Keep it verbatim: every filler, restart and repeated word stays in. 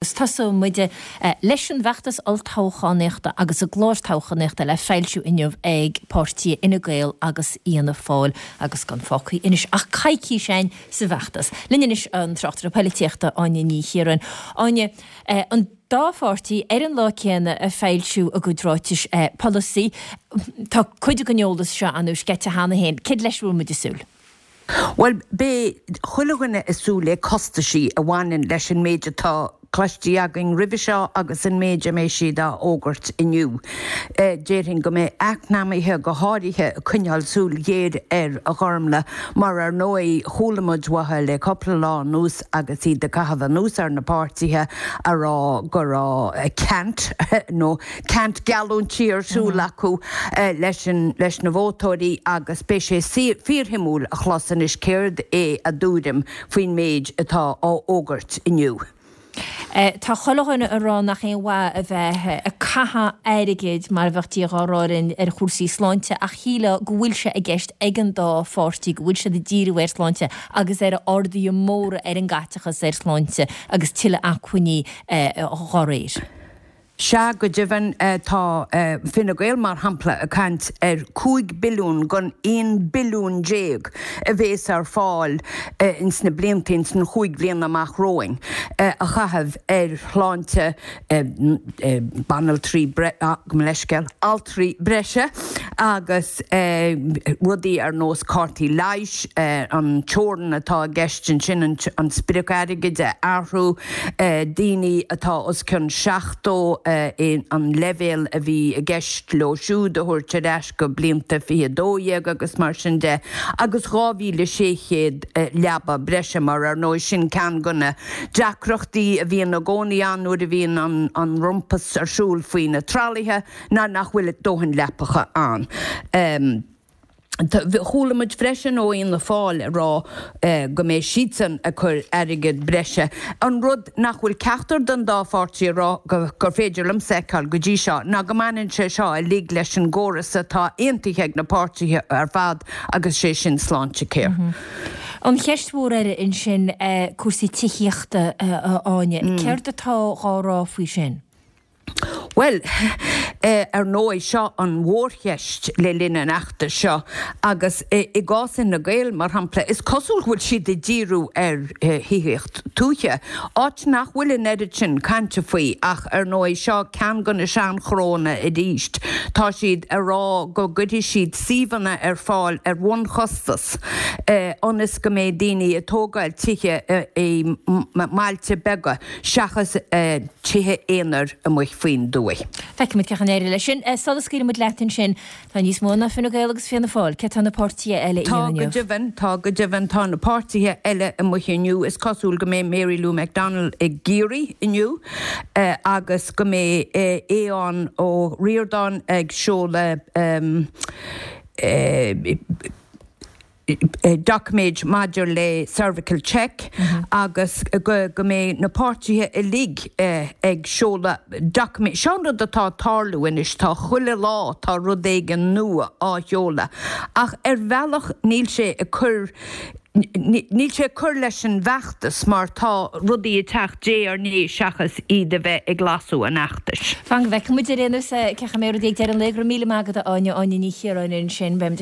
Tosóidh muid leis an bhfeachtas olltoghchánaíochta agus a gclár toghchánaíochta le foilsiú inniu ag páirtithe Fhine Gael agus Fhianna Fáil agus gan fágtha anois ach coicís againn sa bhfeachtas. Linn anois an tráchtaire polaitíochta Áine Ní Chiaráin. Áine, an dá pháirtí ar an lá céanna ag foilsiú a gcuid ráitis polasaí. Tá cuid den eolas seo ann sceite cheana féin. Céard leis a bhfuil muid ag súil? Bhuel, beidh chuile dhuine ag súil le costaisí a bhaineann leis an méid atá cloiste againn roimhe seo agus an méid a mbeidh siad á fhógairt inniu. Déarfainn go mbeidh eacnamaithe go háirithe ag coinneáil súil ghéar air, a Ghormlaith, mar ar ndóigh chuala muid uathu le cúpla lá anuas agus iad ag caitheamh anuas ar na páirtithe a rá go raibh ceant nó ceant geallúintí ar siúl acu leis an leis na vótóirí agus beidh sé fíorshuimiúil a chlos anois céard é a dtuairim faoin méid atá á fhógairt inniu. Tá chuile dhuine ag rá nach aon mhaith a bheith ag caitheamh airgid mar a bheadh Dia dhá rá linn ar chúrsaí sláinte ach shílfeá go bhfuil sé i gceist ag an dá pháirtí go bhfuil siad ag díriú ar shláinte agus ar arduithe móra ar an gcaiteachas ar shláinte agus tuilleadh acmhainní dá réir. Sea, go deimhin, tá Fine Gael, mar shampla, ag caint ar cúig billiún gon aon billiún déag a bhéas ar fáil ins na blianta, ins na chúig bhliana amach romhainn, a chaitheamh ar shláinte banaltraí, gabh mo leithscéal, altraí breise agus rudaí ar nós cártaí leighis, an teorainn atá i gceist ansin, an sprioc airgid a athrú, daoine atá os cionn seachtó, an leibhéal a bhí i gceist leo siúd a thabhairt ar ais go blianta fiche dó dhéag agus mar sin de, agus dhá mhíle sé chéad leaba breise mar ar ndóigh sin ceann de na deacrachtaí a bhíonn i gcónaí ann nuair a bhíonn an rompas ar siúl faoi na tralaithe ná nach bhfuil dóthain leapacha ann. Chuala muid freisin ó Fhianna Fáil ag rá go mbeidh siadsan ag cur airgead breise. An rud nach bhfuil ceachtar den dá pháirtí ag rá gur féidir liomsa a fheiceáil go dtí seo ná go mbaineann sé seo uilig leis an gcóras atá aontaithe ag na páirtithe ar fad agus sé sin Sláintecare. An cheist mhór eile ansin cúrsaí tithíochta, a Áine. Céard atá dhá rá faoi sin? Bhuel, ar ndóigh, seo an mhórcheist le linn an fheachtais seo agus i gcás Fhine Gael, mar shampla, is cosúil go bhfuil siad ag díriú ar thithíocht tuaithe, áit nach bhfuil an oiread sin cainte faoi ach, ar ndóigh, seo ceann de na seanchnónna arís. Tá siad ag rá go gcuirfidh siad suíomhanna ar fáil ar bhunchostas ionas go mbeidh daoine ag tógáil tithe i mbailte beaga seachas tithe aonair amuigh faoin dtuaith. Feicfimid cén chaoi a n-éireoidh leis sin. Sula scaoilfidh muid leat ansin, tá níos mó ná Fine Gael agus Fianna Fáil. Cé tá na páirtithe eile a Tá dhéanamh go inniu? deimhin, tá go deimhin. Tá na páirtithe eile amuigh inniu. Is cosúil go mbeidh Mary Lou McDonald i gCiarraí inniu agus go mbeidh Aodhán Ó Ríordáin ag seoladh doiciméid maidir le cervical check agus go go mbeidh na páirtithe uilig ag seoladh doiciméid. Seo an rud atá ag tarlú anois, tá chuile lá tá rud éigin nua á sheoladh ach ar bhealach níl sé ag cur níl sé ag cur leis an bhfeachtas mar tá rudaí ag teacht diaidh ar ndiaidh seachas iad a bheith ag lasadh an fheachtais. Fan go bhfeicfidh muid ar aon nós cén chaoi a mbeidh rudaí ag deireadh an lae. Go raibh míle maith agat a Áine, Áine Ní Chiaráin ansin. Beimid